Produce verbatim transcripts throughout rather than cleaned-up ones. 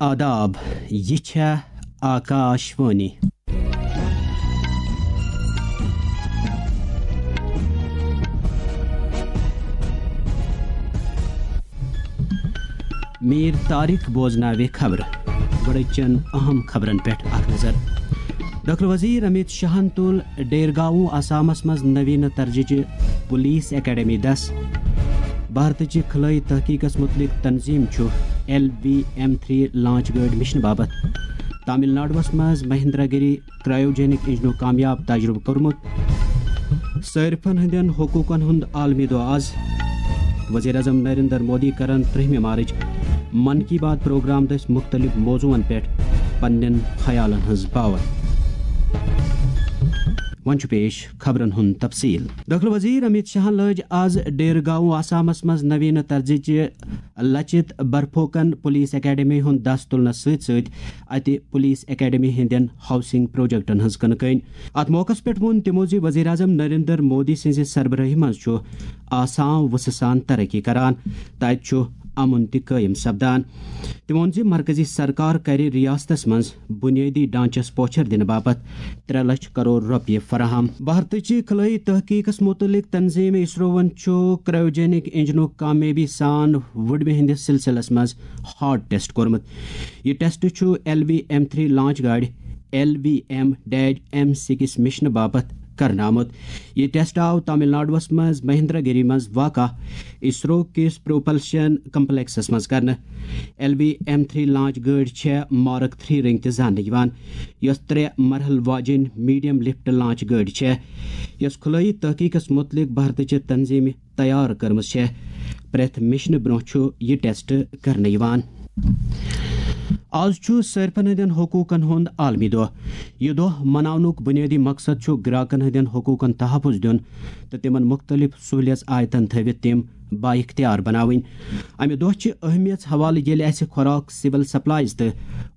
آداب، یہِ چھےٚ آکاش وانی۔ میٖر طارق بوزناوِ خبرٕ۔ گۄڈٕ چن اہم خبرن پٮ۪ٹھ اکھ نظر۔ ڈاکٹر وزیر امیت شاہن تُل ڈیرگاؤں آسامس منٛز نوینہ طرزٕچہِ پولیس اکیڈمی دس۔ بھارتٕچہِ خلٲیی تحقیقس متعلق تنظیم چھُ L V M three launch گٲڑۍ مشنہٕ باپتھ تامل ناڈوس منٛز مہندرا گری کرایوجینک انجنُک کامیاب تجربہٕ کوٚرمُت۔ صٲرفن ہٕنٛدٮ۪ن حقوٗقن ہُنٛد عالمی دۄہ آز۔ وزیر اعظم نریندر مودی کرن ترٛہمہِ مارچ من کی بات پروگرام دٔسۍ مُختٔلِف موضوعن پٮ۪ٹھ پننٮ۪ن خیالن ہٕنٛز باوتھ۔ وۄنۍ چھُ پیش خبرن ہُنٛد تفصیل۔ دٲخلہٕ وزیر امیت شاہن لٲج آز ڈیرگاؤں آسامس منٛز نوینہ طرزٕچہِ لچت برفوکن پولیس اکیڈمی ہُنٛد دس تُلنس سۭتۍ سۭتۍ اتہِ پولیس اکیڈمی ہٕنٛدٮ۪ن ہاؤسنگ پروجیکٹن ہٕنٛز کٕنہٕ کٲنۍ۔ اتھ موقعس پٮ۪ٹھ ووٚن تِمو زِ وزیر اعظم نریندر مودی سٕنٛزِ سربرٲہی منٛز چھُ آسام وُژھٕ سان ترقی کران، تہٕ اتہِ چھُ امُن تہِ قٲیِم سپدان۔ تٔمۍ ووٚن زِ مرکزی سرکار کرِ ریاستس منٛز بنیٲدی ڈھانچس پوچھر دِنہٕ باپتھ ترٛےٚ لچھ کرور رۄپیہِ فراہم۔ بھارتٕچہِ خلٲیی تحقیقس متعلق تنظیم اسروہن چھُ کرایوجینک انجنُک کامیٲبی سان وُڈمہِ ہٕنٛدِس سلسلس منٛز ہارٹ ٹیسٹ کوٚرمُت۔ یہِ ٹیسٹ چھُ L V M three launch گاڑِ L V M dash M six مشنہٕ باپتھ کرنہٕ آمُت۔ یہِ ٹیسٹ آو تامل ناڈوَس منٛز مہندرا گری منٛز واقع اسرو کِس پروپلشن کمپلیکسس منٛز کرنہٕ۔ L V M three launch گٲڑۍ چھےٚ مارک تھری رنگ تہِ زاننہٕ یِوان، یۄس ترٛےٚ مرحلہٕ واجیٚنۍ میڈیم لفٹ لانچ گٲڑۍ چھےٚ، یۄس خلٲیی تحقیقس متعلق بھارتٕچہِ تنظیمہِ تیار کٔرمٕژ چھےٚ۔ پرٛٮ۪تھ مشنہٕ برٛونٛہہ چھُ یہِ ٹیسٹ کرنہٕ یِوان۔ آز چھُ صٲرفن ہٕنٛدٮ۪ن حقوٗقن ہُنٛد عالمی دۄہ۔ یہِ دۄہ مناونُک بُنیٲدی مقصد چھُ گراکن ہٕنٛدٮ۪ن حقوٗقن تحفظ دیُن تہٕ تِمن مُختٔلِف سہوٗلیژ آیتن تھٲوِتھ تِم بااختیار بناوٕنۍ۔ امہِ دۄہ چہِ اہمیت حوالہٕ ییٚلہِ اسہِ خوراک، سول سپلائز تہٕ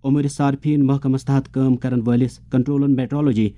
امور صارفین محکمس تحت کٲم کرن وٲلِس کنٹرولر میٹرولوجی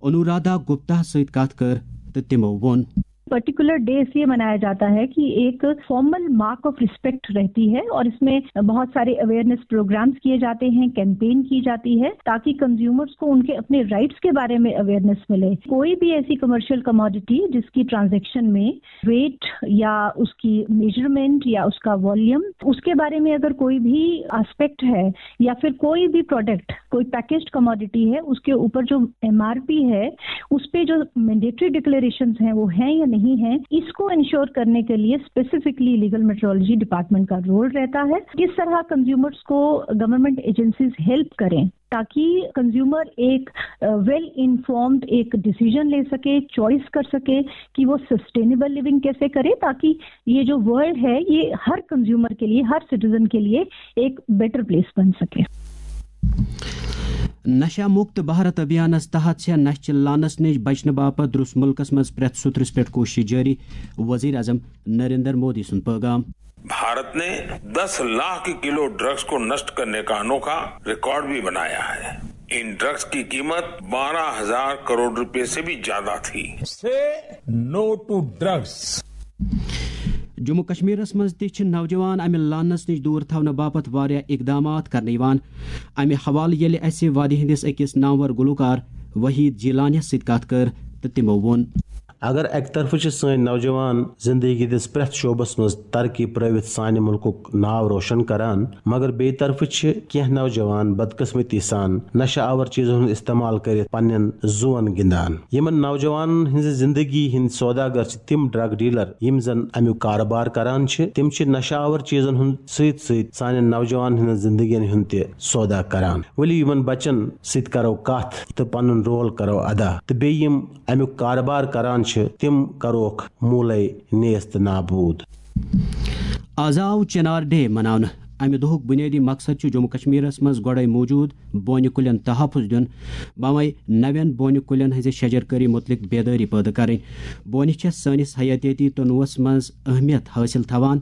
انورادھا گپتا سۭتۍ کتھ کٔر تہٕ تِمو ووٚن۔ پرٹیکولر ڈے اس لیے منایا جاتا ہے کہ ایک فارمل مارک آف ریسپیکٹ رہتی ہے اور اس میں بہت سارے اویئرنیس پروگرامز کیے جاتے ہیں، کیمپین کی جاتی ہے، تاکہ کنزیومرز کو ان کے اپنے رائٹس کے بارے میں اویئرنیس ملے۔ کوئی بھی ایسی کمرشل کموڈٹی جس کی ٹرانزیکشن میں ویٹ یا اس کی میجرمنٹ یا اس کا والیوم، اس کے بارے میں اگر کوئی بھی آسپیکٹ ہے یا پھر کوئی بھی پروڈکٹ، کوئی پیکجڈ کموڈٹی ہے، اس کے اوپر جو ایم آر پی ہے، اس پہ جو مینڈیٹری ڈکلیریشنز ہیں، وہ ہیں یا نہیں ہیں، اس کو انشور کرنے کے لیے اسپیسیفکلی لیگل میٹرولوجی ڈپارٹمنٹ کا رول رہتا ہے۔ کس طرح کنزیومرز کو گورنمنٹ ایجنسیز ہیلپ کریں، تاکہ کنزیومر ایک ویل انفارمڈ ایک ڈیسیژن لے سکے، چوائس کر سکے کہ وہ سسٹینیبل لیونگ کیسے کرے، تاکہ یہ جو ورلڈ ہے، یہ ہر کنزیومر کے لیے، ہر سٹیزن کے لیے ایک بیٹر پلیس بن سکے۔ نشہ مکت بھارت ابھیانس تحت چھےٚ نشہٕ لانس نِش بچنہٕ باپتھ درٛوس مُلکس منٛز پرٛٮ۪تھ سوٚترس پٮ۪ٹھ کوٗشش جٲری، وزیر اعظم نریندر مودی سُنٛد پٲغام۔ भारत ने दस लाख किलो ड्रग्स को नष्ट करने का अनोखा रिकॉर्ड भी बनाया है। इन ड्रग्स की कीमत बारह हजार करोड़ रुपए से भी ज्यादा थी। Say no to drugs. Jammu کشمیرس منٛز تہِ چھِ نوجوان امہِ لانس نِش دوٗر تھاونہٕ باپتھ واریاہ اقدامات کرنہٕ یِوان۔ امہِ حوالہٕ ییٚلہِ اسہِ وادی ہٕنٛدِس أکِس نامور گلوکار وحید جیلانیس سۭتۍ کتھ کٔر تہٕ تِمو ووٚن۔ اگر اکہِ طرفہٕ چھِ سٲنۍ نوجوان زندگی ہٕنٛدِس پرٛٮ۪تھ شعبس منٛز ترقی پرٲوِتھ سانہِ مُلکُک ناو روشن کران، مگر بیٚیہِ طرفہٕ چھِ کینٛہہ نوجوان بدقسمتی سان نشہ آور چیزن ہُنٛد استعمال کٔرِتھ پننٮ۪ن زُوَن گِنٛدان۔ یِمن نوجوانن ہٕنٛزِ زندگی ہٕنٛدۍ سوداگر چھِ تِم ڈرگ ڈیلر، یِم زن امیُک کارٕبار کران چھِ۔ تِم چھِ نشہ آور چیزن ہُنٛد سۭتۍ سۭتۍ سانٮ۪ن نوجوانن ہٕنٛزن زندگین ہُنٛد تہِ سودا کران۔ ؤلِو یِمن بچن سۭتۍ کرو کتھ تہٕ پنُن رول کرو ادا، تہٕ بیٚیہِ یِم امیُک کارٕبار کران چھِ، تِم کروکھ موٗلے نیست نابوٗد۔ آز آو چنار ڈے مناونہٕ۔ امہِ دۄہُک بُنیٲدی مقصد چھُ جموں کشمیرس منٛز گۄڈے موجود بونہِ کُلٮ۪ن تحفظ دیُن، بامے نوٮ۪ن بونہِ کُلٮ۪ن ہٕنٛزِ شجر کٲری مُتعلق بیدٲری پٲدٕ کرٕنۍ۔ بونہِ چھےٚ سٲنِس حیاتیٲتی تنوعس منٛز اہمیت حٲصِل تھاوان۔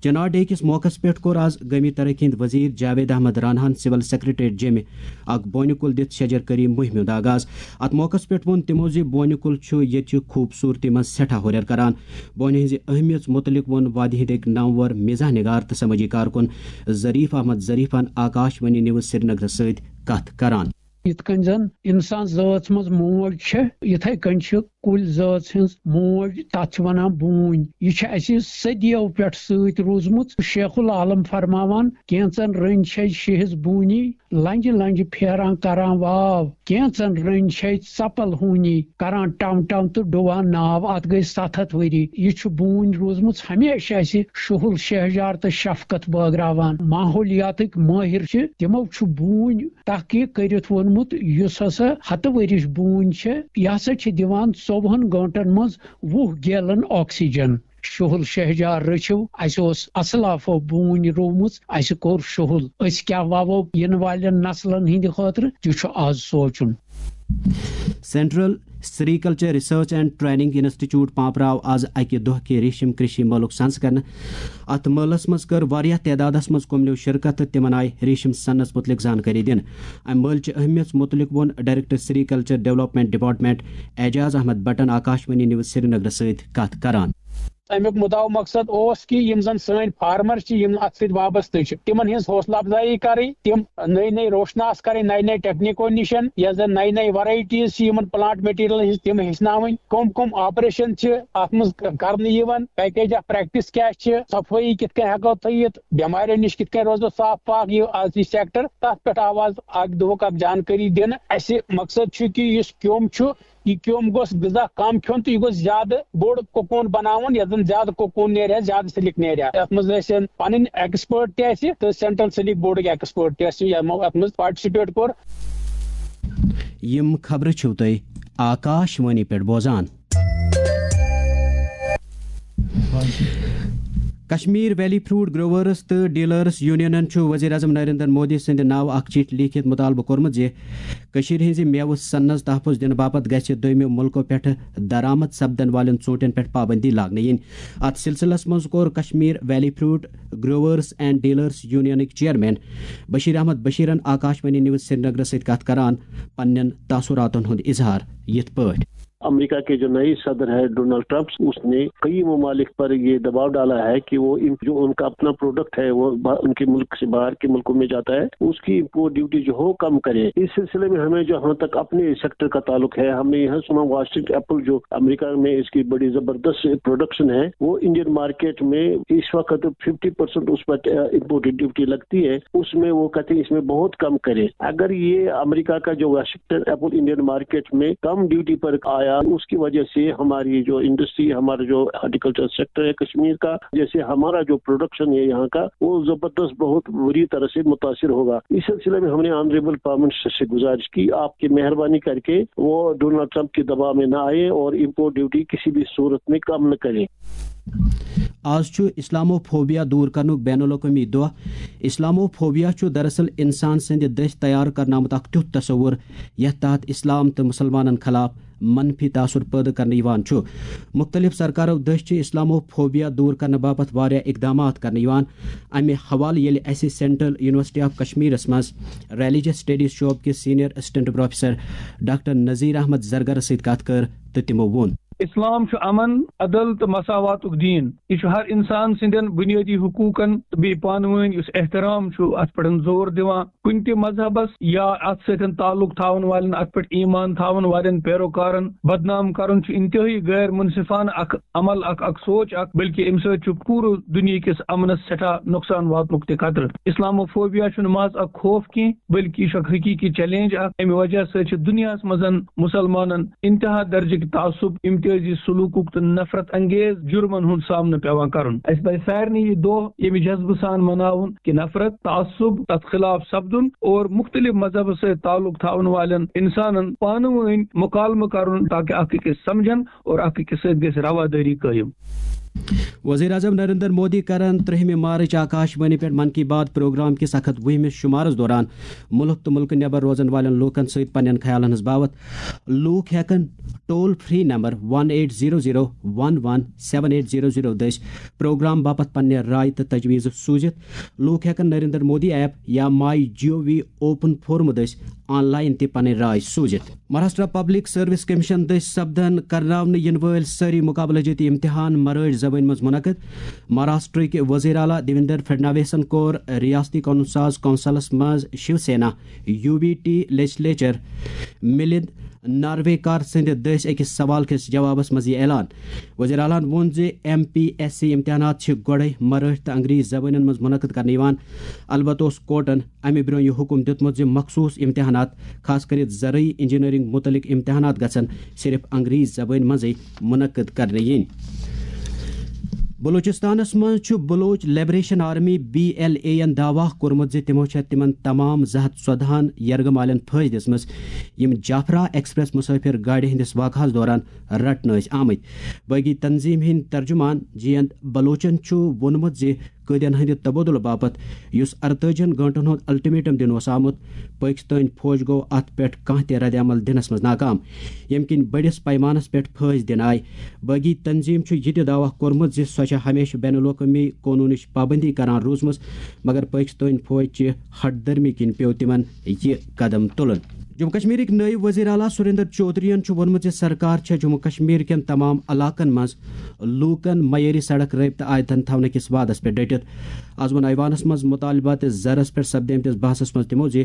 چنار ڈے کِس موقعس پٮ۪ٹھ کوٚر آز گٲمی ترقی ہٕنٛدۍ وزیر جاوید احمد راناہن سول سیکرٹریٹ جیٚمہِ اکھ بونہِ کُل دِتھ شجر کٲری مُہِمہِ ہُنٛد آغاز۔ اتھ موقعس پٮ۪ٹھ ووٚن تِمو زِ بونہِ کُل چھُ ییٚتہِ چہِ خوٗبصوٗرتی منٛز سٮ۪ٹھاہ ہُرٮ۪ر کران۔ بونہِ ہٕنٛزِ اہمیت مُتعلق ووٚن وادی ہٕنٛدۍ أکۍ نامور مزاح نگار تہٕ سمٲجی کارکُن ظریف احمد ظریفن آکاش وانی نیوز سرینگرس سۭتۍ کتھ کران۔ یِتھ کٔنۍ زَن اِنسان زٲژ منٛز موج چھےٚ، یِتھَے کٔنۍ چھِ کُلۍ زٲژ ہٕنٛز موج، تَتھ چھِ وَنان بوٗنۍ۔ یہِ چھِ اَسہِ صدیو پٮ۪ٹھ سۭتۍ روٗزمٕژ۔ شیخ العالم فرماوان، کینٛژَن رٔنٛدۍ چھَے شیہِس بوٗنی، لنجہِ لنجہِ پھیران کران واو، کینژن رٔنۍ چھے ژپل ہوٗنی کران ٹم ٹم تہٕ ڈُوان ناو۔ اتھ گٔے ستھ ہتھ ؤری۔ یہِ چھُ بوٗنۍ روٗزمٕژ ہمیشہِ اسہِ شُہُل شہجار تہٕ شفقت بٲگراوان۔ ماحولیاتٕکۍ مٲہِر چھِ، تِمو چھُ بوٗنۍ تحقیق کٔرِتھ ووٚنمُت، یُس ہسا ہتہٕ ؤرِش بوٗنۍ چھےٚ، یہِ ہسا چھِ دِوان ژوٚوُہن گٲنٹن منٛز وُہ گیلن آکسیجن۔ شُہُل شہجار رٔچھِو، اَسہِ اوس اَسلافو بوٗنۍ رُومٕژ، اَسہِ کوٚر شُہُل۔ أسۍ کیٛاہ وَوو یِنہٕ والٮ۪ن نسلن ہٕنٛدِ خٲطرٕ، تہِ چھُ آز سونٛچُن۔ Central sericulture research and training institute Pampore آز اکہِ دۄہ کہِ ریشم کرشی مٲلُک سنز کرنہٕ۔ اتھ مٲلس منٛز کٔر واریاہ تعدادس منٛز کُملیو شرکت تہٕ تِمن آیہِ ریشم سنس مُتعلق زانکٲری دِنہٕ۔ امہِ مٲلچہِ اہمیت مُتعلق ووٚن director sericulture development department Ejaz Ahmad بٹن آکاشوانی نیوز سرینگرس سۭتۍ کتھ کران۔ اَمیُک مُدعا مقصد اوس کہِ یِم زَن سٲنۍ فارمر چھِ، یِم اَتھ سۭتۍ وابستہٕ چھِ، تِمن ہٕنٛز حوصلہٕ افزایی کَرٕنۍ، تِم نٔے نٔے روشناس کَرٕنۍ نَیہِ نَیہِ ٹیکنیٖکو نِش، یۄس زَن نَیہِ نَیہِ ورایٹیٖز چھِ یِمن پلانٹ مٹیریلن ہٕنٛز، تِم ہیٚچھناوٕنۍ، کٕم کٕم آپریشن چھِ اَتھ منٛز کرنہٕ یِوان، پیکیج آف پریکٹس کیٛاہ چھِ، صفٲیی کِتھ کٔنۍ ہٮ۪کو تھٲیِتھ، بٮ۪ماریو نِش کِتھ کٔنۍ روزو صاف پاک، یہِ آز یہِ سیکٹر، تَتھ پٮ۪ٹھ آو آز اَکہِ دۄہُک اکھ جانکٲری دِنہٕ۔ اَسہِ مقصد چھُ کہِ یُس کیوٚم چھُ، یہِ کیوٚم گوٚژھ غذا کم کھیوٚن تہٕ یہِ گوٚژھ زیادٕ بوٚڑ کوکون بناوُن، یتھ زن زیادٕ کوکون نیرِ ہا، زیادٕ سلک نیرِ ہا۔ یتھ منٛز ٲسۍ پنٕنۍ ایکسپٲرٹ تہِ اسہِ تہٕ سینٹرل سلک بورڈٕکۍ ایکسپٲرٹ تہِ ٲسۍ، یِمو اتھ منٛز پارٹیسپیٹ کوٚر۔ یِم خبرٕ چھِو تُہۍ آکاش وانی پٮ۪ٹھ بوزان۔ کشمیر ویلی فروٹ گروورز تہٕ ڈیلرز یونینن چھُ وزیر اعظم نریندر مودی سٕنٛدِ ناوٕ اکھ چِٹھۍ لیٖکھِتھ مُطالبہٕ کوٚرمُت زِ کٔشیٖرِ ہٕنٛزِ مٮ۪وٕ صنعت تحفظ دِنہٕ باپتھ گژھِ دوٚیمہِ مُلکو پٮ۪ٹھٕ درآمد سپدن والٮ۪ن ژوٗنٛٹھٮ۪ن پٮ۪ٹھ پابندی لاگنہٕ یِنۍ۔ اتھ سلسلس منٛز کوٚر Kashmir valley fruit growers and dealers یونینٕکۍ چیئرمین بشیر احمد بشیرن آکاشوانی نیوز سرینگرس سۭتۍ کتھ کران پننٮ۪ن تاثراتن ہُنٛد اظہار یِتھ پٲٹھۍ۔ امریکہ کے جو نئے صدر ہے ڈونلڈ ٹرمپ، اس نے کئی ممالک پر یہ دباؤ ڈالا ہے کہ وہ ان، جو ان کا اپنا پروڈکٹ ہے، وہ با-، ان کے ملک سے باہر کے ملکوں میں جاتا ہے، اس کی امپورٹ ڈیوٹی جو ہو کم کرے۔ اس سلسلے میں ہمیں جو، ہم تک اپنے سیکٹر کا تعلق ہے، ہم نے یہاں سنا واشنگٹن ایپل جو امریکہ میں اس کی بڑی زبردست پروڈکشن ہے، وہ انڈین مارکیٹ میں اس وقت ففٹی پرسینٹ اس پر امپورٹ ڈیوٹی لگتی ہے، اس میں وہ کہتے ہیں اس میں بہت کم کرے۔ اگر یہ امریکہ کا جو واشنگٹن ایپل انڈین مارکیٹ میں کم ڈیوٹی پر آیا، اس کی وجہ سے ہماری جو انڈسٹری، ہمارا جو ہارٹیکلچر سیکٹر ہے کشمیر کا، جیسے ہمارا جو پروڈکشن ہے یہاں کا، وہ زبردست بہت بری طرح سے متاثر ہوگا۔ اس سلسلے میں ہم نے آنریبل پرائم منسٹر سے گزارش کی، آپ کی مہربانی کر کے وہ ڈونلڈ ٹرمپ کے دباؤ میں نہ آئے اور امپورٹ ڈیوٹی کسی بھی صورت میں کم نہ کریں۔ آز چھُ اسلامو فوبیا دور کرنُک بین الاقوٲمی دۄہ۔ اسلامو فوبیا چھُ دراصل انسان سٕنٛدِ دٔسۍ تیار کرنہٕ آمُت اکھ تیُتھ تصور، یتھ تحت اسلام تہٕ مسلمانن خلاف منفی تاثر پٲدٕ کرنہٕ یِوان چھُ۔ مُختٔلِف سرکارو دٔسۍ چھِ اسلامو فوبیا دور کرنہٕ باپتھ واریاہ اقدامات کرنہٕ یِوان۔ امہِ حوالہٕ ییٚلہِ اسہِ سینٹرل یونیورسٹی آف کشمیرس منٛز ریلیجس سٹڈیز شعبہٕ کِس senior assistant professor doctor Nazir Ahmad زرگرس سۭتۍ کتھ کٔر تہٕ تِمو ووٚن۔ اسلام چھُ امن، عدل تہٕ مساواتُک دین۔ یہِ چھُ ہر انسان سٕنٛدٮ۪ن بنیٲدی حقوقن تہٕ بیٚیہِ پانہٕ وٲنۍ یُس احترام چھُ، اتھ پٮ۪ٹھ زور دِوان۔ کُنہِ تہِ مذہبس یا اتھ سۭتۍ تعلق تھاون والٮ۪ن، اتھ پٮ۪ٹھ ایمان تھاون والٮ۪ن پیروکارن بدنام کرُن چھُ انتہٲئی غیر منصفانہٕ اکھ عمل، اکھ، اکھ سونچ اکھ، بلکہ امہِ سۭتۍ چھُ پوٗرٕ دُنیہٕ کِس امنس سٮ۪ٹھاہ نۄقصان واتنُک تہِ خطرٕ۔ اسلاموفوبیا چھُنہٕ محض اکھ خوف کینٛہہ، بلکہ یہِ چھُ اکھ حقیقی چیلنج اکھ۔ امہِ وجہ سۭتۍ چھِ دُنیاہس منٛز مسلمانن انتہا درجٕکۍ تعصب، امتیازی سلوکُک تہٕ نفرت انگیز جرمن ہُنٛد سامنہٕ پٮ۪وان کرُن۔ اسہِ پزِ سارنٕے یہِ دۄہ ییٚمہِ جذبہٕ سان مناوُن کہِ نفرت، تعصب، تتھ خلاف سپدُن اور مختلف مذہبس سۭتۍ تعلق تھاون والٮ۪ن انسانن پانہٕ وٲنۍ مکالمہٕ کرُن، تاکہ اکھ أکِس سمجھن اور اکھ أکِس سۭتۍ گژھِ روادٲری قٲیِم۔ وزیر اعظم نریندر مودی کرن ترٛہمہِ مارچ آکاش وانی پٮ۪ٹھ من کی بات پروگرام کِس اکھ ہتھ وُہمِس شمارس دوران ملک تہٕ ملکہٕ نٮ۪بر روزن والٮ۪ن لوٗکن سۭتۍ پننٮ۪ن خیالن ہٕنٛز باوتھ۔ لوٗکھ ہٮ۪کن toll free number one eight zero zero one one seven eight zero zero دٔسۍ پروگرام باپتھ پننہِ راے تہٕ تجویز سوٗزِتھ۔ لوٗکھ ہٮ۪کن نریندر مودی ایپ یا مائی جی او وی اوپن فورم دٔسۍ آن لائن تہِ پنٕنۍ راے سوٗزِتھ۔ مہاراشٹرا پبلک سروس کمیشن دٔسۍ سپدن کرناونہٕ یِنہٕ وٲلۍ سٲری مقابلہٕ جٲتی امتحان مرٲٹھۍ زبٲنۍ منٛز منعقد۔ مہاراشٹرٕکۍ وزیر اعلیٰ دیویندر فڈناویسن کوٚر ریاستی قونوٗن ساز کونسلس منٛز Shiv Sena, U B T legislature ملند نارویکار سٕنٛدِ دٔسۍ أکِس سوال کِس جوابس منٛز یہِ اعلان۔ وزیر اعلیٰ ہن ووٚن زِ ایم پی ایس سی امتحانات چھِ گۄڈے مرٲٹھۍ تہٕ انگریزی زبٲنۍ منٛز منعقد کرنہٕ یِوان۔ البتہ اوس کورٹن امہِ برٛونٛہہ یہِ حکم دیُتمُت زِ مخصوٗص امتحانات، خاص کٔرِتھ زرعی انجینئرنگ متعلق امتحانات، گژھن صرف انگریزی زبٲنۍ منٛزٕے منعقد کرنہٕ یِنۍ۔ بلوچستانس منٛز چھُ Baloch Liberation Army, B L A, ین دعویٰ کوٚرمُت زِ تِمو چھےٚ تِمن تمام زٕ ہتھ ژۄدہن یرغمالین پھٲنٛسۍ دِژمٕژ، یِم جافرا ایکسپریس مسافر گاڑِ ہٕنٛدِس واقعس دوران رٹنہٕ ٲسۍ آمٕتۍ۔ باغی تنظیم ہٕنٛدۍ ترجمان جینت بلوچن چھُ ووٚنمُت زِ قٲدٮ۪ن ہٕنٛدِ تبادلہٕ باپتھ، یُس ارتٲجِہن گٲنٛٹن ہُنٛد الٹیمیٹم دِنہٕ اوس آمُت، پٲکِستٲنۍ فوج گوٚو اتھ پٮ۪ٹھ کانٛہہ تہِ رد عمل دِنس منٛز ناکام، ییٚمہِ کِنۍ بٔڑِس پیمانس پٮ۪ٹھ پھٲنٛسۍ دِنہٕ آیہِ۔ باغی تنظیم چھُ یہِ تہِ دعویٰ کوٚرمُت زِ سۄ چھےٚ ہمیشہٕ بین الاقوٲمی قونوٗنٕچ پابندی کران روٗزمٕژ، مگر پٲکِستٲنۍ فوج چہِ ہٹ دھرمی کِنۍ پیوٚو تِمن یہِ قدم تُلُن۔ جموں کشمیرٕکۍ نٲیِب وزیر اعلیٰ سریندر چودھرین چھُ ووٚنمُت زِ سرکار چھےٚ جموں کشمیر کٮ۪ن تمام علاقن منٛز لوٗکن معیٲری سڑک رٲبطہٕ آیتن تھاونہٕ کِس وعدس پٮ۪ٹھ ڈٔٹِتھ۔ از ووٚن ایوانس منٛز مطالبات زرس پٮ۪ٹھ سپدیمتِس بحثس منٛز تِمو زِ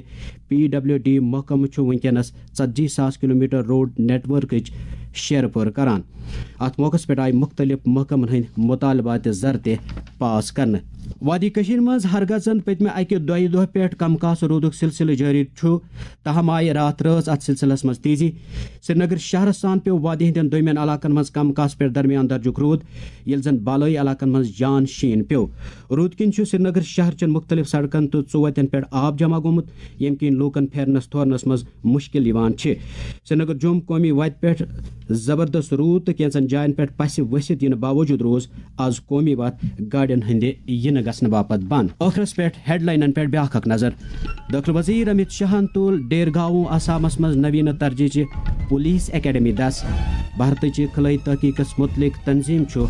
پی ڈبلیو ڈی محکمہٕ چھُ وٕنکیٚنس ژتجی ساس کلومیٹر روڈ نیٹ ورکٕچ شیرٕ پٲر کران۔ اتھ موقعس پٮ۪ٹھ آیہِ مُختٔلِف محکمن ہٕنٛدۍ مطالبات زر تہِ پاس کرنہٕ۔ وادی کٔشیٖرِ منٛز ہرگزن پٔتمہِ اکہِ دۄیہِ دۄہ پٮ۪ٹھ کم کاس روٗدُک سلسلہٕ جٲری چھُ، تاہم آیہِ راتھ رٲژ اتھ سلسلس منٛز تیزی۔ سرینگر شہرس سان پیوٚو وادی ہٕنٛدٮ۪ن دوٚیمٮ۪ن علاقن منٛز کم کاس پٮ۪ٹھ درمیان درجُک روٗد، ییٚلہِ زن بالٲیی علاقن منٛز جان شیٖن پیوٚو۔ روٗد کِنۍ چھُ سرینگر شہر چٮ۪ن مُختٔلِف سڑکن تہٕ ژُوتٮ۪ن پٮ۪ٹھ آب جمع گوٚمُت، ییٚمہِ کِنۍ لوٗکن پھیرنس تھورنس منٛز مُشکِل یِوان چھِ۔ سرینگر جوٚم قومی وتہِ پٮ۪ٹھ زبردست روٗد تہٕ کینٛژن جاین پٮ۪ٹھ پسہِ ؤسِتھ یِنہٕ باوجوٗد روٗز از قومی وتھ گاڑٮ۪ن ہٕنٛدِ یِنہٕ گژھنہٕ باپتھ بنٛد۔ ٲخرس پٮ۪ٹھ ہیڈلاینن پٮ۪ٹھ بیٛاکھ اکھ نظر۔ دٲخلہٕ وزیر امت شاہن تُل ڈیرگاؤں آسامس منٛز نویٖنہٕ ترجیحچہِ پولیس اکیڈمی دس۔ بھارتٕچہِ خلٲیی تحقیقس متعلق تنظیم چھُ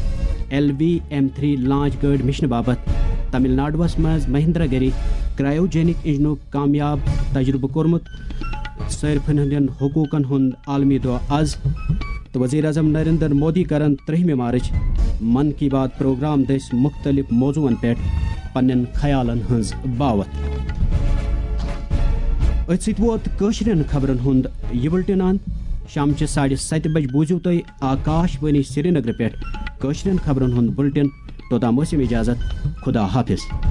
L V M three launch گٲڑۍ مشنہٕ باپتھ تمل ناڈوس منٛز مہندرا گری کرایوجینک انجنُک کامیاب تجربہٕ کوٚرمُت۔ صٲرفن ہٕنٛدٮ۪ن حقوٗقن ہُنٛد عالمی دۄہ از۔ تہٕ وزیر اعظم نریندر مودی کرن ترٛہمہِ مارچ من کی بات پروگرام دٔسۍ مُختٔلِف موضوعن پٮ۪ٹھ پننٮ۪ن خیالن ہٕنٛز باوتھ۔ أتھۍ سۭتۍ ووت کٲشرٮ۪ن خبرن ہُنٛد یہِ بُلٹن اند۔ شامچہِ ساڑِ ستہِ بجہِ بوٗزِو تُہۍ آکاش وانی سرینگرٕ پٮ۪ٹھ کٲشرٮ۪ن خبرن ہُنٛد بُلٹن۔ توٚتام ٲسِم اجازت۔ خدا حافظ۔